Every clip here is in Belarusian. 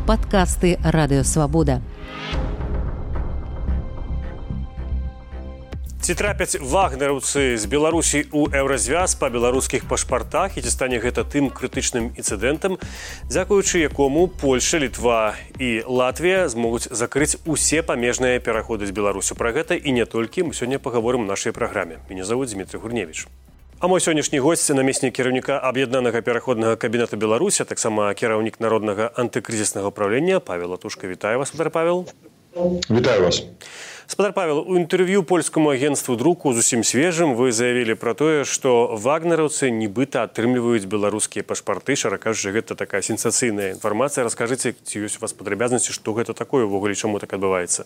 Падкасты Радыёвабода. Ці трапяць вагнераўцы з Беларусі ў еўразвяз па беларускіх пашпартах і ці стане гэта тым крытычным інцыдэнтам, дзякуючы якому Польша, Літва і Латвія змогуць закрыць усе памежныя пераходы з Беларусю. Пра гэта і не толькі мы сёння пагаворым у нашай праграме. Мяне завуць Дмітрий Гурневіч. А мой сённяшні госць – намеснік кіраўніка Аб'яднанага пераходнага кабінета Беларусі, таксама кіраўнік Народнага антыкрызіснага ўправлення Павел Латушка. Вітаю вас, спадар Павел. Вітаю вас. Спадар Павел, у інтэрв'ю польскаму агенцтву друку зусім свежым вы заявілі пра тое, што вагнераўцы нібыта атрымліваюць беларускія пашпарты. Шчыра кажучы, гэта такая сенсацыйная інфармацыя. Раскажыце, ці ёсць у вас падрабязнасці, што гэта такое ўвогуле, чаму так адбываецца?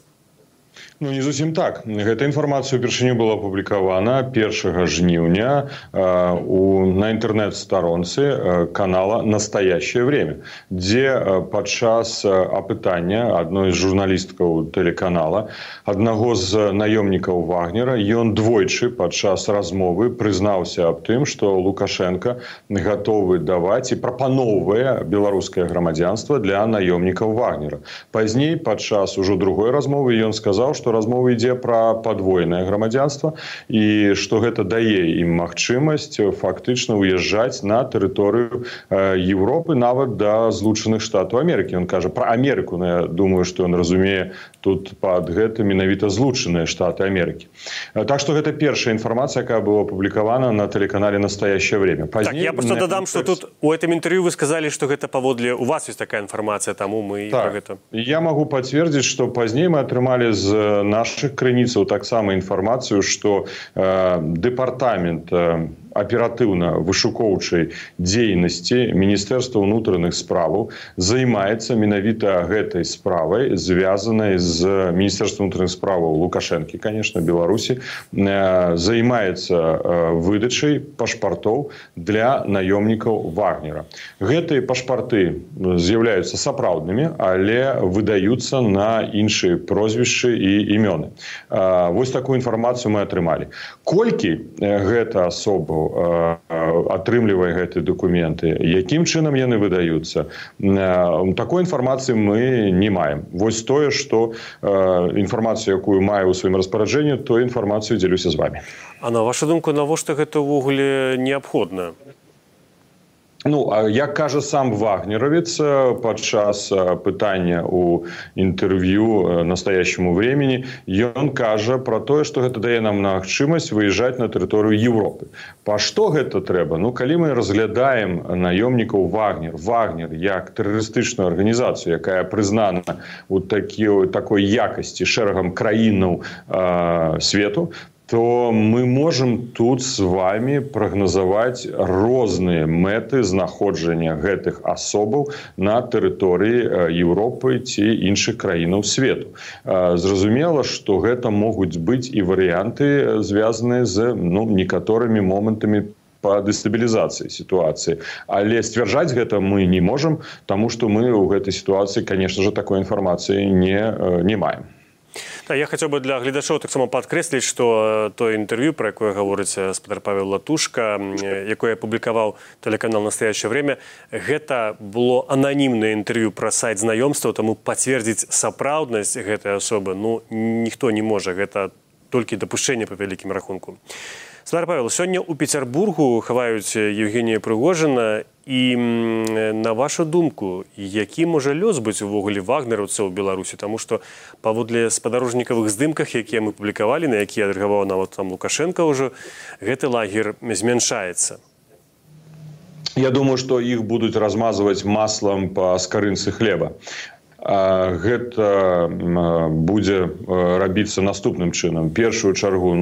Ну, не зусім так. Гэта інфармацыя упершыню была апублікавана 1 жніўня на інтэрнэт-старонцы канала «Настоящее время», дзе падчас апытання адной з журналісткаў тэлеканала аднаго з наёмнікаў Вагнера ён двойчы падчас размовы прызнаўся аб тым, што Лукашенко гатовы даваць і прапаноўвае беларускае грамадзянства для наёмнікаў Вагнера. Пазней, падчас ужо другой размовы, ён сказаў, што размова ідзе пра падвойнае грамадзянства і што гэта дае ім магчымасць фактычна ўязджаць на тэрыторыю Еўропы, нават да Злучаных Штатаў Амерыкі. Ён кажа пра Амерыку, но я думаю, што ён разумее тут пад гэта менавіта Злучаныя Штаты Амерыкі. Так што гэта першая інфармацыя, якая была апублікавана на тэлеканале «Настоящее время». Поздней, так, я просто дадам, што тут у гэтым інтэрв'ю вы сказалі, што гэта паводле у вас ёсць такая інфармацыя, таму мы так, пра гэта. Я магу пацвердзіць, што пазней мы атрымалі з наших крыніцаў таксама інфармацыю, што дэпартамент аператыўна-вышукоўчай дзейнасці Міністэрства ўнутраных справаў займаецца менавіта гэтай справай, звязанай з Міністэрствам ўнутраных справаў Лукашэнкі, конечно, Беларусі, займаецца выдачай пашпартоў для наёмнікаў Вагнера. Гэтыя пашпарты з'яўляюцца сапраўднымі, але выдаюцца на іншыя прозвішчы і імёны. Вось такую інфармацыю мы атрымалі. Колькі гэта асобаў атрымлівае гэтыя дакументы, якім чынам яны выдаюцца, такой інфармацыі мы не маем. Вось тое, што інфармацыю, якую маю ў сваім распараджэнні, тую інфармацыю дзелюся з вами. А на вашу думку, навошта гэта ўвогуле неабходна? Ну, як кажа сам вагнеравец падчас пытання ў інтэрв'ю «Настоящему времени», ён кажа пра тое, што гэта дае нам магчымасць выязджаць на тэрыторыю Еўропы. Па што гэта трэба? Ну, калі мы разглядаем наёмнікаў Вагнер як тэрарыстычную арганізацыю, якая прызнана ў такой якасці шэрагам краінаў свету, то мы можам тут з вами прагназаваць розныя мэты знаходжання гэтых асобаў на тэрыторыі Еўропы ці іншых краінаў свету. Зразумела, што гэта могуць быць і варыянты, звязаныя з некаторымі момантамі па дэстабілізацыі сітуацыі. Але сцвярджаць гэта мы не можам, таму што мы ў гэтай сітуацыі, конечно же, такой інфармацыі не маем. Я хацеў бы для гледачоў таксама падкрэсліць, што тое інтэрв'ю, пра якое гаворыць спадар Павел Латушка, якое апублікаваў тэлеканал «Настоящее время», гэта было ананімнае інтэрв'ю пра сайт знаёмстваў, таму пацвердзіць сапраўднасць гэтай асобы ніхто не можа. Гэта толькі дапушчэнне па вялікім рахунку. Спадар Павел, сёння ў Пецярбургу хаваюць Евгенія Прыгожына. І на вашу думку, які можа лёс быць увогуле вагнераўцаў у Беларусі? Таму што паводле спадарожнікавых здымках, якія мы публікавалі, на якія адрэагаваў нават там Лукашенко ўжо, гэты лагер змяншаецца. Я думаю, што іх будуць размазваць маслам па скарынцы хлеба. Гэта будзе рабіцца наступным чынам. Першую чаргу,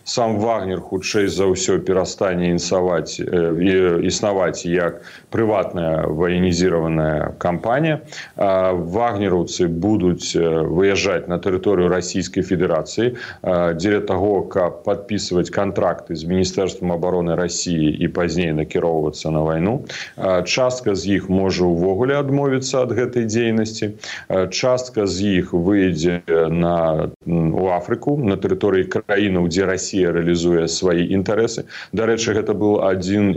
сам Вагнер хутчэй за ўсё перастане існаваць як прыватная ваенізіраваная кампанія. Вагнераўцы будуць выязджаць на тэрыторыю Расійскай Федэрацыі дзеля таго, каб падпісваць кантракты з Міністэрствам абароны Расіі і пазней накіроўвацца на вайну. Частка з іх можа ўвогуле адмовіцца ад гэтай дзейнасці. Частка з іх выйдзе на у Афрыку, на тэрыторыі краінаў, дзе Расія рэалізуе свае інтарэсы. Дарэчы, гэта быў адзін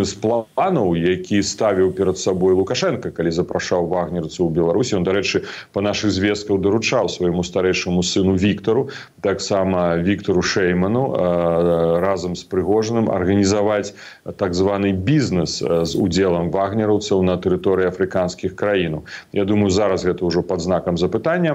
з планаў, які ставіў перад сабой Лукашенко, калі запрашаў вагнерцаў у Беларусі. Ён, дарэчы, па нашых звестках даручаў свайму старэйшаму сыну Віктару, таксама Віктару Шэйману, разам з Прыгожыным арганізаваць так званы бізнес з удзелам вагнераўцаў на тэрыторыі афрыканскіх краінаў. Я думаю, зараз гэта ўжо пад знакам запытання,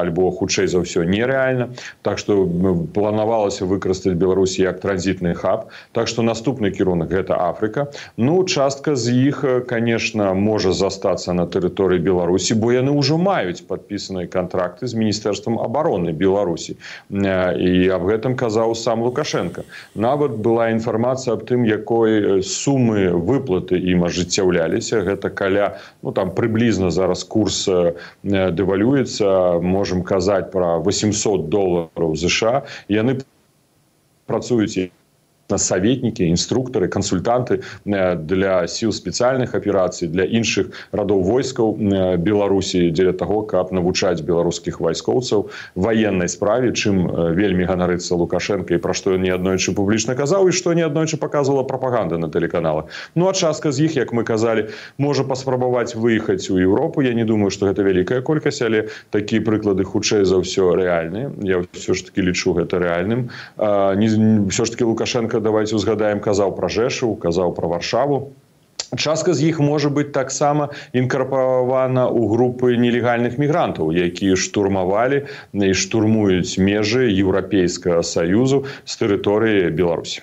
альбо хутчэй за ўсё нерэальна. Так што планавалася выкарыстаць Беларусь як транзітны хаб. Так што наступны кірунак гэта Афрыка. Ну, частка з іх, конечно, можа застацца на тэрыторыі Беларусі, бо яны ўжо маюць падпісаныя кантракты з Міністэрствам абароны Беларусі. І аб гэтым казаў сам Лукашенко. Нават была інфармацыя аб тым, якой сумы выплаты ім ажыццяўляліся. Гэта каля, ну, там прыблізна зараз курс дэвалюецца, можем казаць пра $800 США. Яны працуюць советники, инструкторы, консультанты для сил специальных операций, для іншых радоў войскаў Беларусі, дзеля того, каб навучаць беларускіх вайскоўцаў военной справе, чым вельмі ганарыцца Лукашенко і пра што ён неаднойчы публічна казаў і што неаднойчы паказвала прапаганда на тэлеканалах. Ну а частка з іх, як мы казалі, можа паспрабаваць выехаць у Еўропу. Я не думаю, што гэта вялікая колькасць, але такія прыклады хутчэй за ўсё рэальныя. Я ўсё ж таки лічу гэта рэальным. Ўсё ж таки Лукашенко, давайте узгадаем, казаў пра Жэшаў, казаў пра Варшаву. Частка з іх можа быць таксама інкарпаравана ў групы нелегальных мігрантаў, якія штурмавалі і штурмуюць межы Еўрапейскага Саюзу з тэрыторыі Беларусі.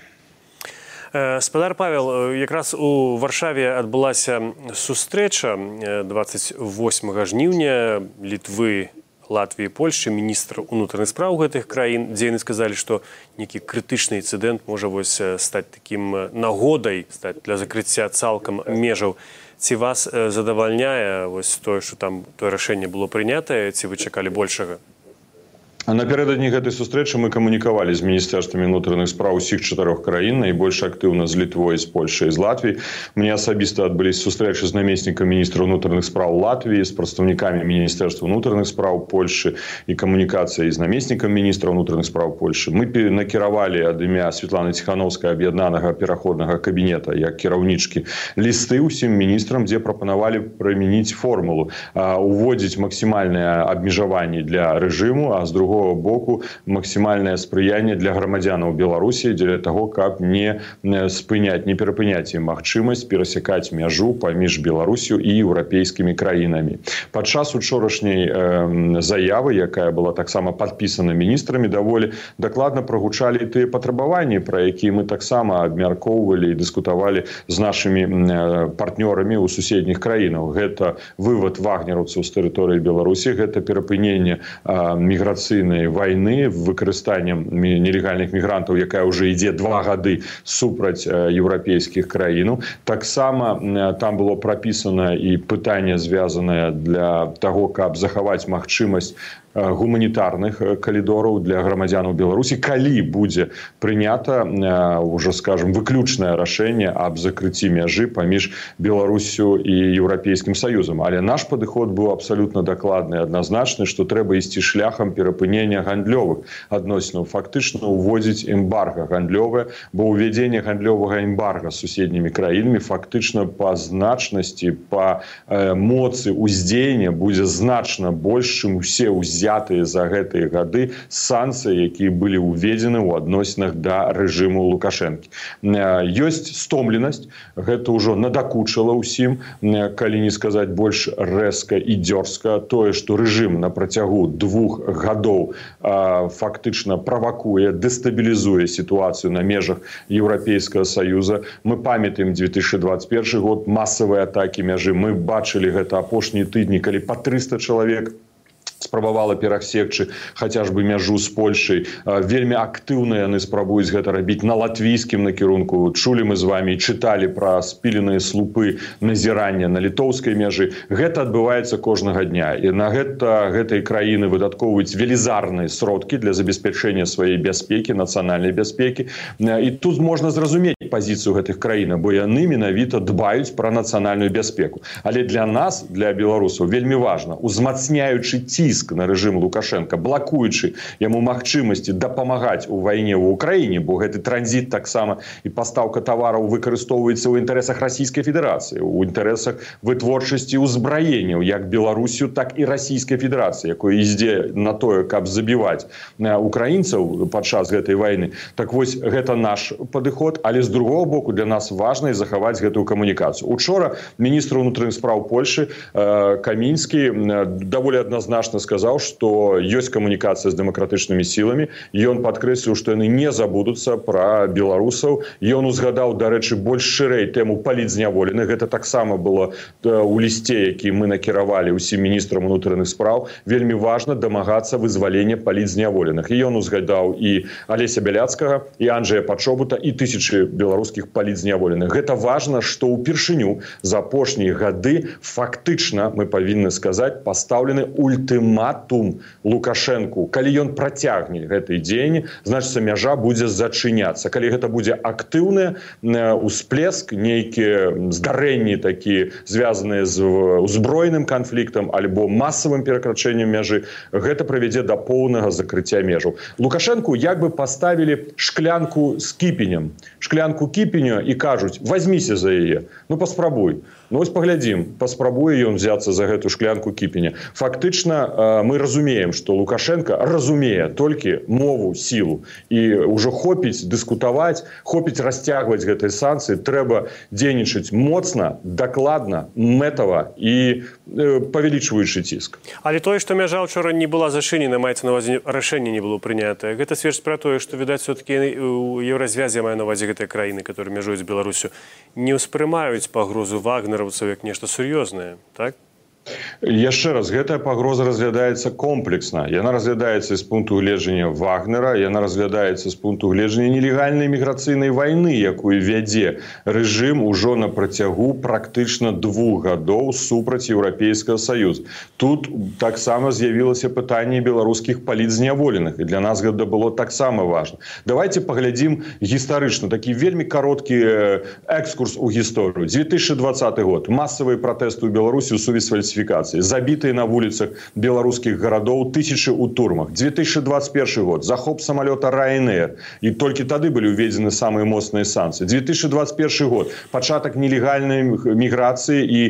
Спадар Павел, якраз у Варшаве адбылася сустрэча 28 жніўня Літвы, Латвіі, Польшчы, міністр унутраных спраў гэтых краін, дзе яны сказалі, што нейкі крытычны інцыдэнт можа стаць такім нагодай для закрыцця цалкам межаў. Ці вас задавальняе тое, што там тое рашэнне было прынятае, ці вы чакалі большага? Напярэдадні гэтай сустрэчы мы камунікавалі з міністэрствамі унутраных спраў усіх 4 краін, найбольш актыўна з Літвой, з Польшай і з Латвіяй. Мне асабіста адбыліся сустрэчы з намеснікам міністра унутраных спраў Латвіі, з прадстаўнікамі міністэрства унутраных спраў Польшы і камунікацыяй з намеснікам міністра унутраных спраў Польшы. Мы накіравалі ад імя Святланы Ціхановскай аб'яднанага пераходнага кабінета як кіраўнічкі лісты ўсім міністрам, дзе прапанавалі прымяніць формулу, уводзіць максімальнае абмежаванне для рэжыму, а з другого боку максімальнае спрыянне для грамадзянаў Беларусі дзеля таго, каб не спыняць, не перапыняць ім магчымасць перасякаць мяжу паміж Беларусю і еўрапейскімі краінамі. Падчас учорашняй заявы, якая была таксама падпісана міністрамі, даволі дакладна прагучалі тыя патрабаванні, пра якія мы таксама абмяркоўвалі і дыскутавалі з нашымі партнёрамі ў суседніх краінах. Гэта вывад вагнераўцаў з тэрыторыі Беларусі, гэта перапыненне міграцыйнай войны выкарыстаннем нелегальных мігрантаў, якая ўжо ідзе 2 гады супраць еўрапейскіх краінаў. Таксама там было прапісана і пытанне, звязанае для таго, каб захаваць магчымасць гуманітарных калідораў для грамадзянаў Беларусі, калі будзе прынята ўжо, скажем, выключнае рашэнне аб закрыцці мяжы паміж Беларусю і Еўрапейскім Саюзам. Але наш падыход быў абсалютна дакладны, адназначны, што трэба ісці шляхам перапынення гандлёвых адносінаў, фактычна ўводзіць эмбарга гандлёвае, бо ўвядзенне гандлёвага эмбарга з суседнімі краінамі фактычна па значнасці, па моцы ўздзеяння будзе значна больш, чым усе ўзятыя за гэтыя гады санкцыі, якія былі ўведзены ў адносінах да рэжыму Лукашэнкі. Ёсць стомленасць, гэта ўжо надакучыла ўсім, калі не сказаць больш рэзка і дзёрзка. Тое, што рэжым на працягу 2 гадоў фактычна правакуе, дэстабілізуе сітуацыю на межах Еўрапейскага Саюза. Мы памятаем 2021 год, масавыя атакі мяжы. Мы бачылі гэта апошнія тыдні, калі па 300 чалавек спрабавала перасекчы хаця ж бы мяжу з Польшай. Вельмі актыўна яны спрабуюць гэта рабіць на латвійскім накірунку. Чулі мы з вамі, чыталі пра спіленыя слупы назірання на літоўскай мяжы. Гэта адбываецца кожнага дня. І на гэтай краіны выдаткоўваюць велізарныя сродкі для забеспячэння сваёй бяспекі, нацыянальнай бяспекі. І тут можна зразумець пазіцыю гэтых краін, бо яны менавіта дбаюць пра нацыянальную бяспеку. Але для нас, для беларусаў, вельмі важна, узмацняючы ці тыск на рэжым Лукашенко, блакуючы яму магчымасці дапамагаць у вайне ў Украіне, бо гэты транзіт таксама і пастаўка тавараў выкарыстоўваецца ў інтарэсах Расійскай Федэрацыі, у інтарэсах вытворчасці ўзбраенняў як Беларусю, так і Расійскай Федэрацыі, якое ідзе на тое, каб забіваць украінцаў падчас гэтай вайны. Так вось, гэта наш падыход, але з другого боку для нас важна захаваць гэтую камунікацыю. Учора міністр унутраных спраў Польшы Камінскі даволі адназначна сказаў, што ёсць камунікацыя з дэмакратычнымі сіламі. Ён падкрэсліў, што яны не забудуцца пра беларусаў. Ён узгадаў, дарэчы, больш шырэй тэму палітзняволеных. Гэта таксама было ў лісце, які мы накіравалі ўсім міністрам унутраных спраў. Вельмі важна дамагацца вызвалення палітзняволеных. І ён узгадаў і Алеся Бяляцкага, і Анджэя Пачобута, і тысячы беларускіх палітзняволеных. Гэта важна, што ўпершыню за апошнія гады фактычна, мы павінны сказаць, пастаўлены ультыматум Лукашэнку. Калі ён працягне гэтыя дзеянні, значыцца мяжа будзе зачыняцца. Калі гэта будзе актыўны усплеск, нейкія здарэнні такія, звязаныя з узброеным канфліктам альбо масавым перакрачэннем мяжы, гэта прывядзе да поўнага закрыцця межаў. Лукашэнку як бы паставілі шклянку з кіпенем. Шклянку кіпеня і кажуць, возьміся за яе. Ну, паспрабуй. Ну, вось паглядзім, паспрабуе ён взяцца за гэту шклянку кіпеня. Фактычна, мы разумеем, што Лукашенко разумее толькі мову, сілу. І ўжо хопіць дыскутаваць, хопіць расцягваць гэтыя санкцыі, трэба дзейнічаць моцна, дакладна, мэтава і павялічваючы ціск. Але тое, што мяжа ўчора не была зачынена, маецца на ўвазе рашэнне не было прынятае. Гэта сведчыць пра тое, што, відаць, все-таки у Еўразвязе, маю на ўвазе гэтыя краіны, которые мяжуюць з Беларусю, не ўспрымаюць пагрозу вагнераўцаў як нешта сур'ёзнае, так? Яшчэ раз, гэтая пагроза разглядаецца комплексна. Яна разглядаецца з пункту гледжання Вагнера, яна разглядаецца з пункту гледжання нелегальнай міграцыйнай вайны, якую вядзе рэжым ужо на працягу практычна 2 гадоў супраць Еўрапейскага Саюза. Тут таксама з'явілася пытанне беларускіх палітзняволеных, і для нас гэта было таксама важна. Давайте паглядзім гістарычна, такі вельмі кароткі экскурс у гісторыю. 2020 год. Масавыя пратэсты ў Беларусі ў сувязі з фальсіфікацыяй. Забітыя на вуліцах беларускіх гарадоў тысячы ў турмах. 2021 год. Захоп самалёта Ryanair. І толькі тады былі ўведзены самыя моцныя санкцыі. 2021 год. Пачатак нелегальнай міграцыі і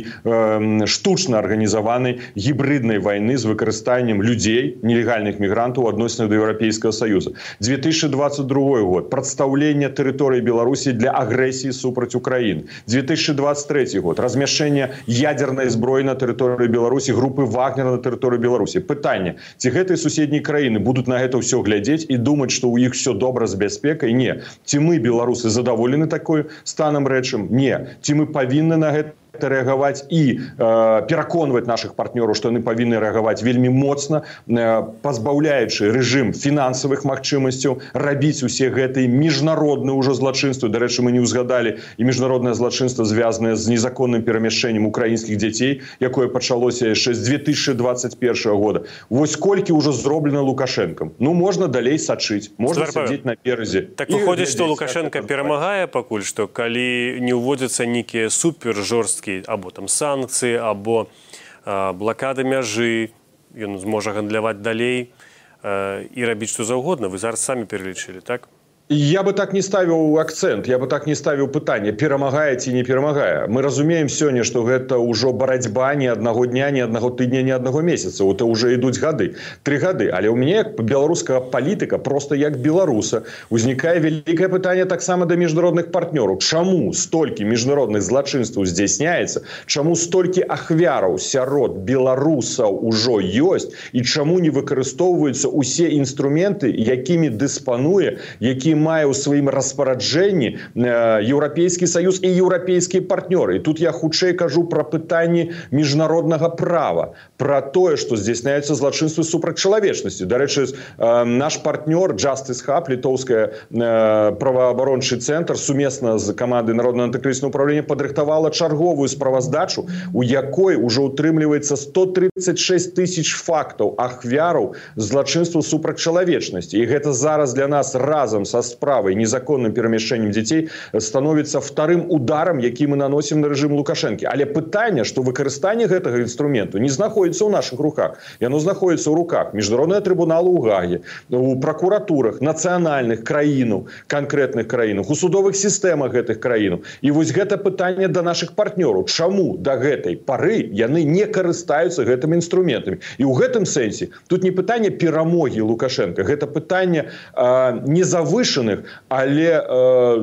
штучна арганізаванай гібриднай вайны з выкарыстаннем людзей, нелегальных мігрантаў адносінах да Еўрапейскага Саюза. 2022 год. Прадстаўленне тэрыторыі Беларусі для агрэсіі супраць Украіны. 2023 год. Размяшчэнне ядзернай зброі на тэрыторыі Беларусі, групы Вагнера на тэрыторыі Беларусі. Пытанне, ці гэтыя суседнія краіны будуць на гэта ўсё глядзець і думаць, што ў іх все добра з бяспекай? Не. Ці мы, беларусы, задаволены такой станам рэчам? Не. Ці мы павінны на гэта рэагаваць і пераконваць нашых партнёраў, што яны павінны рэагаваць вельмі моцна, пазбаўляючы рэжым фінансавых магчымасцяў, рабіць усе гэтыя міжнародныя ўжо злачынствы. Дарэчы, мы не ўзгадалі і міжнароднае злачынства, звязанае з незаконным перамяшчэннем украінскіх дзяцей, якое пачалося яшчэ з 2021 года. Вось колькі ўжо зроблена Лукашэнкам. Ну, можна далей сачыць, можна сядзець наперадзе. Так выходзіць, што Лукашенко перамагае пакуль што, калі не ўводзяцца нейкія супер жорсткія або там санкцыі, або блакада мяжы, ён зможа гандляваць далей і рабіць што заўгодна. Вы зараз самі пералічылі, так? Я бы так не ставіў акцэнт, я бы так не ставіў пытанне, перамагае ці не перамагае. Мы разумеем сёння, што гэта ўжо барацьба не аднаго дня, не аднаго тыдня, не аднаго месяца. Это ўжо ідуць гады, 3 гады. Але ў мяне як беларускага палітыка, просто як беларуса, узнікае вялікае пытанне таксама да міжнародных партнёраў. Чаму столькі міжнародных злачынстваў здзяйсняецца? Чаму столькі ахвяраў сярод беларусаў ужо ёсць? І чаму не выкарыстоўваюцца ўсе інструменты, якімі дыспануе, які мае ў сваім распараджэнні Еўрапейскі Саюз і еўрапейскія партнёры. І тут я хутчэй кажу пра пытанні міжнароднага права, пра тое, што здзяйсняюцца злачынствы супраць чалавечнасці. Дарэчы, наш партнёр Justice Hub, літоўская праваабарончы цэнтр, сумесна з камандай Народнага антыкрызіснага ўправлення падрыхтавала чарговую справаздачу, у якой ўжо ўтрымліваецца 136 тысяч фактаў ахвяраў злачынстваў супраць чалавечнасці. І гэта зараз для нас разам са расправай, незаконным перемещением детей становится вторым ударом, який мы наносим на режим Лукашенко. Але пытанне, что выкарыстанне гэтага инструменту не находится у наших руках. Яно находится у руках Международного трибунала у Гаги, у прокуратурах национальных краинов, конкретных краинов, у судовых системах этих краинов. И вот это пытанне до наших партнеров. Чему до этой поры яны не карыстаются гэтыми инструментами? И у гэтым сенсе тут не пытанне перамоги Лукашенко, это пытанне незавышенных, але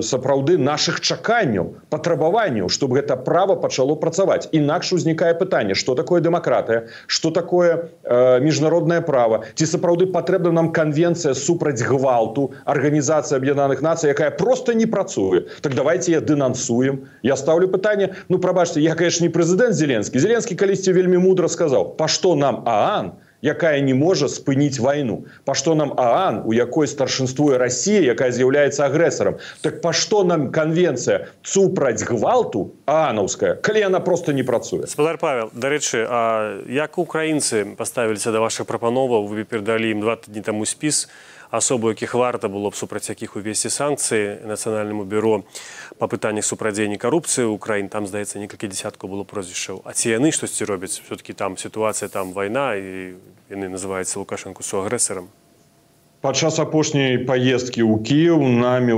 сапраўды наших чаканняў, патрабаванняў, чтобы это право пачало працаваць. Інакш узнікае пытанне, что такое демократия, что такое международное право, ці сапраўды патрэбна нам конвенция супраць гвалту Организации Объединенных Наций, якая просто не працуе. Так давайте я денонсуем. Я ставлю пытанне, ну прабачце, я, конечно, не президент Зеленский. Зеленский калісьці вельмі мудро сказал, па што нам ААН, якая не может спыніць войну. Па што нам ААН, у якой старшинствуе Россия, якая з'яўляецца агрэсарам. Так па што нам конвенция супраць гвалту ААНаўская, калі яна просто не працуе? Спадар Павел, дарэчы, а як украінцы паставіліся да вашых прапановаў? Вы перадалі ім 2 тыдні таму спіс асобу, якіх варта было б супраць якіх увесці санкцыі Нацыянальнаму бюро па пытаннях супрацьдзеяння карупцыі ў краін. Там, здаецца, некалькі дзесяткаў было прозвішчаў. А ці яны штосьці робяць? Все-таки там ситуація, там вайна, і яны называюцца Лукашенко суагрэсарам. Падчас апошняй поездки ў Киев нам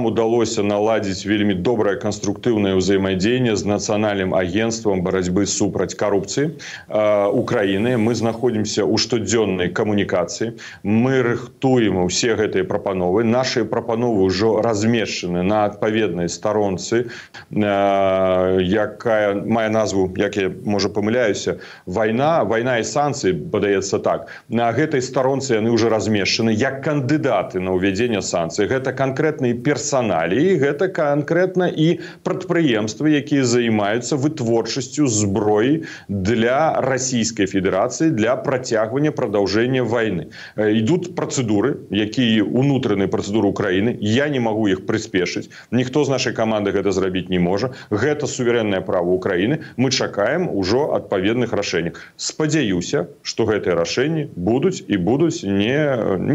удалося наладзіць вельмі добрае канструктыўнае ўзаемадзеянне з нацыянальным агентствам барацьбы супраць карупцыі Украіны. Мы знаходзімся ў штодзённай камунікацыі. Мы рыхтуем усе гэтыя прапановы. Нашы прапановы ўжо размешчаны на адпаведнай старонцы, якая мае назву, як я, можа, памыляюся, вайна і санкцыі, падаецца так. На гэтай старонцы яны ўжо размешчаны як кандидаты на ўвядзенне санкцый. Гэта канкрэтныя персоналіі, гэта канкрэтна і прадпрыемствы, якія займаюцца вытворчасцю зброі для Российской Федерации для працягвання продолжения войны. Идут процедуры, якія унутраныя процедуры Украины. Я не могу их приспешить. Никто з нашей команды гэта зрабіць не можа. Гэта суверенное право Украины. Мы чакаем ужо адпаведных рашэнняў. Спадзяюся, что гэтыя рашэнні будуць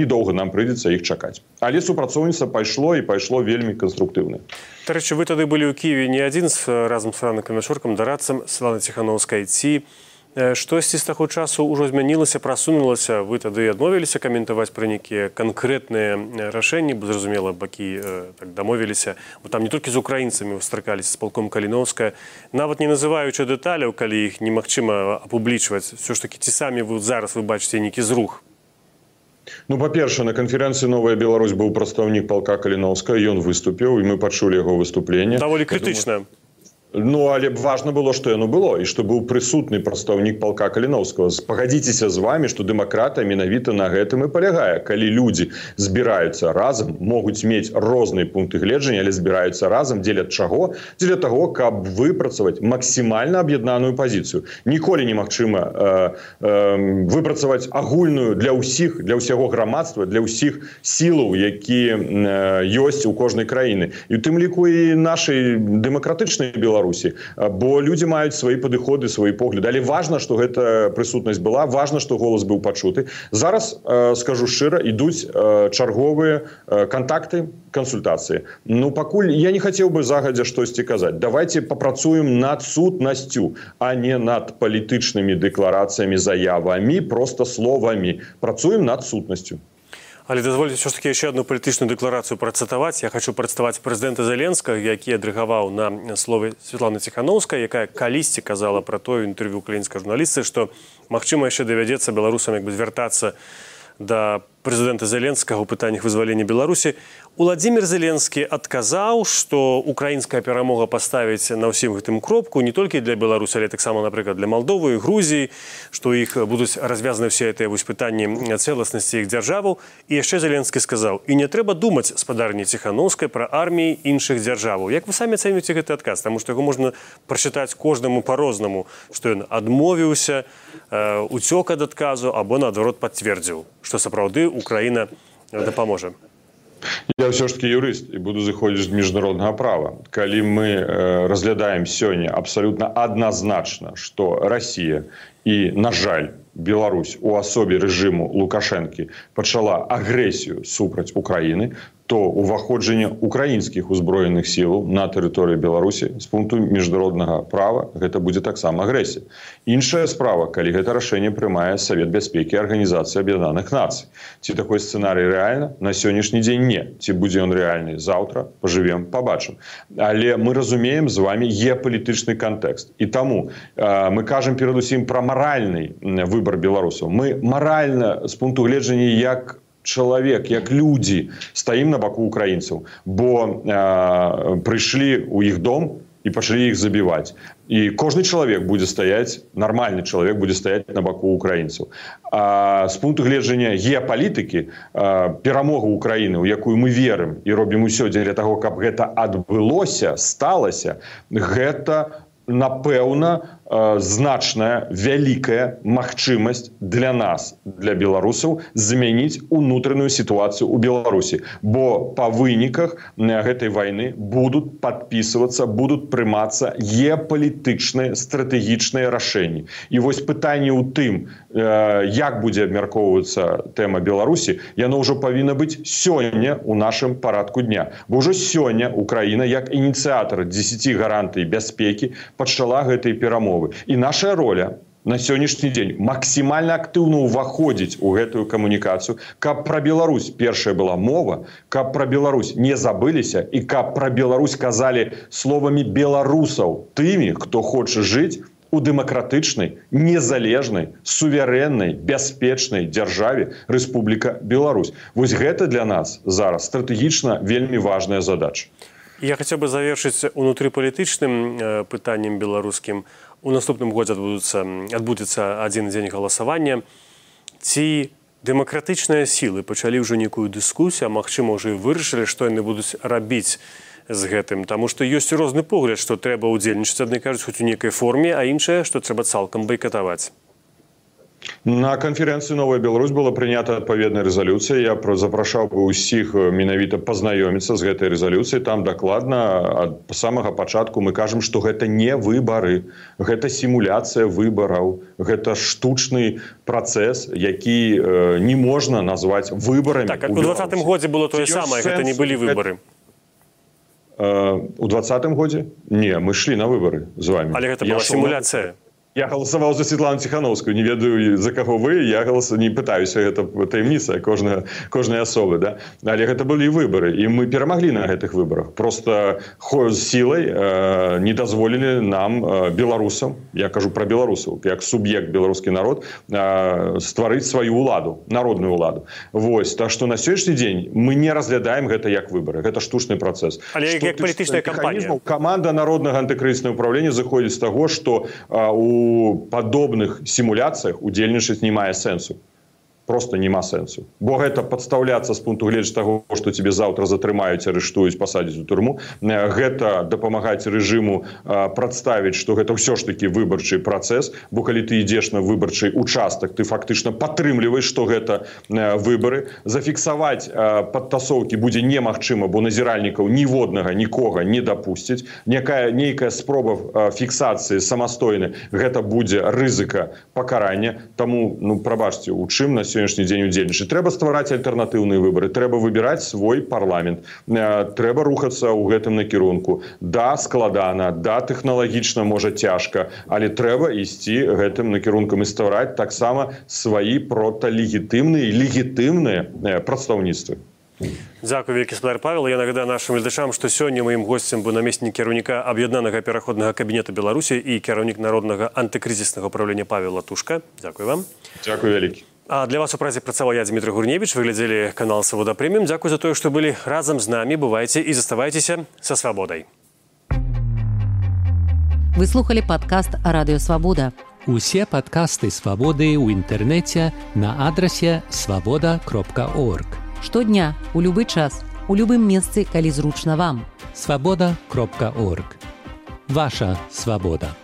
недолго нам придется их чакать. Але супрацоўніцтва пайшло вельмі конструктивно. Дарэчы, вы тады былі ў Киеве не адзін разам з Франкам Мячоркам, дарадцам Святланы Ціхановскай. Ці штосьці з таго часу ўжо змянілася, прасунулася? Вы тады адмовіліся каментаваць пра нейкія канкрэтныя рашэнні, бо зразумела, бакі так дамовіліся. Бо там не толькі з украінцамі сустракаліся, з палком Каліноўская, нават не называючы дэталяў, калі іх немагчыма апублічваць. Все ж таки, ці самі вы зараз вы бачыце нейкі зрух? Ну, по-перше, на конференции «Новая Беларусь» был представник полка Калиновского, и он выступил, и мы почули его выступление. Довольно критично. Ну, але важно было, что яно было, и что был присутный представник полка Калиновского. Погодитесь с вами, что демократия менавіта на гэтым и полягае. Калі люди збираются разом, могут иметь разные пункты гледжання, але збираются разом, дзеля чаго? Дзеля того, каб выпрацаваць максимально об'яднаную позицию. Ніколі немагчыма выпрацаваць агульную для ўсіх, для ўсяго грамадства, для ўсіх сілаў, якія ёсць у кожнай краіны. І у тым ліку і нашай дэмакратычнай Беларусі. Бо люди маюць свои падыходы, свои погляды. Але важно, что гэта прысутнасць была, важно, что голос быў пачуты. Зараз, скажу шчыра, ідуць чарговыя контакты, консультации. Ну, пакуль я не хотел бы загадзя штосьці казаць. Давайте попрацуем над сутнасцю, а не над палітычнымі дэкларацыямі, заявамі, просто словамі. Працуем над сутнасцю. Але дазвольце все ж таки еще одну палітычную дэкларацыю працытаваць. Я хочу прадставаць прэзідэнта Зеленскага, які адрэгаваў на слове Святланы Ціхановскай, якая калісьці казала пра тое інтэрв'ю украінскай журналістцы, што магчыма яшчэ давядзецца беларусам як бы звяртацца да прэзідэнта Зеленскага ў пытаннях вызвалення Беларусі. Уладзімір Зеленскі адказаў, што украінская перамога паставіць на ўсім гэтым кропку не толькі для Беларусі, але таксама, напрыклад, для Малдовы і Грузіі, што іх будуць развязаны ўсе гэтыя пытанні цэласнасці іх дзяржаваў. І яшчэ Зеленскі сказаў: і не трэба думаць, спадарні Ціхановскай, пра арміі іншых дзяржаваў. Як вы самі ацэньваеце гэты адказ? Таму што яго можна прачытаць кожнаму па-рознаму, што ён адмовіўся, уцёк ад адказу або, наадварот, пацвердзіў, што сапраўды Украіна дапаможа. Я все ж таки юрист и буду заходить з международного права. Калі мы разглядаем сёння абсолютно однозначно, что Россия и, на жаль, Беларусь у асобе режиму Лукашенко пачала агрэсію супраць Украины, то уваходжанне украінскіх узброеных сілаў на тэрыторыі Беларусі з пункту міжнароднага права гэта будзе таксама агрэсія. Іншая справа, калі гэта рашэнне прымае Савет бяспекі Арганізацыі Аб'яднаных Нацый. Ці такой сцэнарый рэальна? На сённяшні дзень не. Ці будзе ён рэальны заўтра? Пажывем, пабачым. Але мы разумеем з вами геапалітычны кантэкст. І таму мы кажам перадусім пра маральны выбар беларусаў. Мы маральна з пункту гледжання як чалавек, як людзі стаім на баку украінцаў, бо прыйшлі ў іх дом і пачалі іх забіваць. І кожны чалавек будзе стаяць, нармальны чалавек будзе стаяць на баку украінцаў. З пункту гледжання геапалітыкі перамога Украіны, у якую мы верым і робім усё дзеля таго, каб гэта адбылося, сталася, гэта напэўна значная, вялікая магчымасць для нас, для беларусаў, змяніць унутраную сітуацыю ў Беларусі. Бо па выніках гэтай вайны будуць падпісвацца, будуць прымацца геапалітычныя стратэгічныя рашэнні. І вось пытанне ў тым, як будзе абмяркоўвацца тэма Беларусі, яно ўжо павінна быць сёння ў нашым парадку дня. Бо ўжо сёння Украіна, як ініцыятар 10 гарантый бяспекі, пачала гэтай перамовы. І наша роля на сённяшні дзень максімальна актыўна ўваходзіць у гэтую камунікацыю, каб пра Беларусь першая была мова, каб пра Беларусь не забыліся і каб пра Беларусь казалі словамі беларусаў, тымі, хто хоча жыць у дэмакратычнай, незалежнай, суверэннай, бяспечнай дзяржаве Рэспубліка Беларусь. Вось гэта для нас зараз стратэгічна вельмі важная задача. Я хацеў бы завершыць унутрыпалітычным пытаннем беларускім. У наступным годзе адбудзецца адзін дзень галасавання. Ці дэмакратычныя сілы пачалі ўжо нейкую дыскусію, а магчыма, ўжо і вырашылі, што яны будуць рабіць з гэтым. Таму што ёсць розны погляд, што трэба ўдзельнічаць, адны кажуць, хоць у нейкай форме, а іншае, што трэба цалкам байкатаваць. На канферэнцыі «Новая Беларусь» была прынята адпаведная рэзалюцыя. Я запрашаў бы ўсіх менавіта пазнаёміцца з гэтай рэзалюцыяй. Там дакладна ад самага пачатку мы кажам, што гэта не выбары, гэта сімуляцыя выбараў, гэта штучны працэс, які не можна назваць выбарамі. Так, у 2020 годзе было тое самае, гэта не былі выбары. У 2020 годзе? Не, мы шлі на выбары з вами. Але гэта была сімуляцыя. Я галасаваў за Светлану Ціхановскую, не ведаю, за каго вы, я не пытаюся, гэта таямніца кожнай асобы, да? Але гэта былі выбары, і мы перамаглі на гэтых выбарах. Просто сілай не дазволілі нам, беларусам, я кажу пра беларусаў, як суб'ект беларускі народ, стварыць сваю ўладу, народную ўладу. Вось, так што на сённяшні дзень мы не разглядаем гэта як выбары, гэта штучны працэс. Але як палітычная кампанія? Каманда Народнага антыкрызіснага ўправлення заходзіць з таго, што у падобных сімуляцыях удзельнічаць не мае сэнсу. Просто няма сэнсу. Бо гэта падстаўляцца з пункту гледжання таго, што тебе заўтра затрымаюць, арыштуюць, пасадзяць у турму. Гэта дапамагаць рэжыму прадставіць, што гэта ўсё ж такі выбарчы працэс, бо калі ты ідзеш на выбарчы участак, ты фактычна падтрымліваеш, што гэта выбары. Зафіксаваць падтасоўкі будзе немагчыма, бо назіральнікаў ніводнага нікога не дапусцяць. Нейкая спроба фіксацыі самастойнай, гэта будзе рызыка пакарання. Таму, прабачце, у чым на сённяшні дзень удзельнічаць. Трэба ствараць альтэрнатыўныя выбары, трэба выбіраць свой парламент, трэба рухацца ў гэтым накірунку. Да, складана, да, тэхналагічна, можа, цяжка, але трэба ісці гэтым накірункам і ствараць таксама сваі проталегітымныя і легітымныя прадстаўніцтвы. Дзякуй, вялікі спадар Павел. Я нагадаю нашым гледачам, што сёння маім госцем быў намеснік кіраўніка Аб'яднанага пераходнага кабінета Беларусі і кіраўнік Народнага антыкрызіснага ўправлення Павел Латушка. Дзякуй вам. Дзякуй вялікі. А для вас у празе працаваў я, Дмітрий Гурневич. Вы глядзелі канал «Свабода Прэміум». Дзякуй за тое, што былі разам з намі. Бывайце і заставайцеся са свабодай. Вы слухали падкаст «Радыё Свабода». Усе падкасты «Свабоды» ў інтэрнэце на адрасе свабода.орг. Штодня, у любы час, у любым месцы, калі зручна вам. Свабода.орг. Ваша свабода.